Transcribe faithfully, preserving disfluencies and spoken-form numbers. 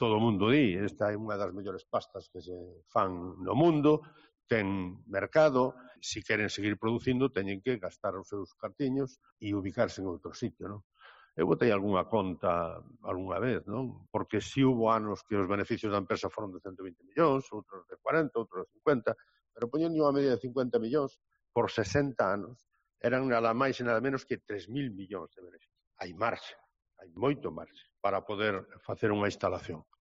todo o mundo di, esta é unha das mellores pastas que se fan no mundo, ten mercado, se queren seguir producindo teñen que gastar os seus cartiños e ubicarse en outro sitio, non? Eu botei algunha conta algunha vez, non? Porque si hubo anos que os beneficios da empresa foron de ciento vinte millóns, outros de cuarenta, outros de cincuenta, pero poñendo unha media de cincuenta millóns por sesenta anos, eran nada máis e nada menos que tres mil millóns de beneficios. Hai marxe, hai moito marxe para poder facer unha instalación.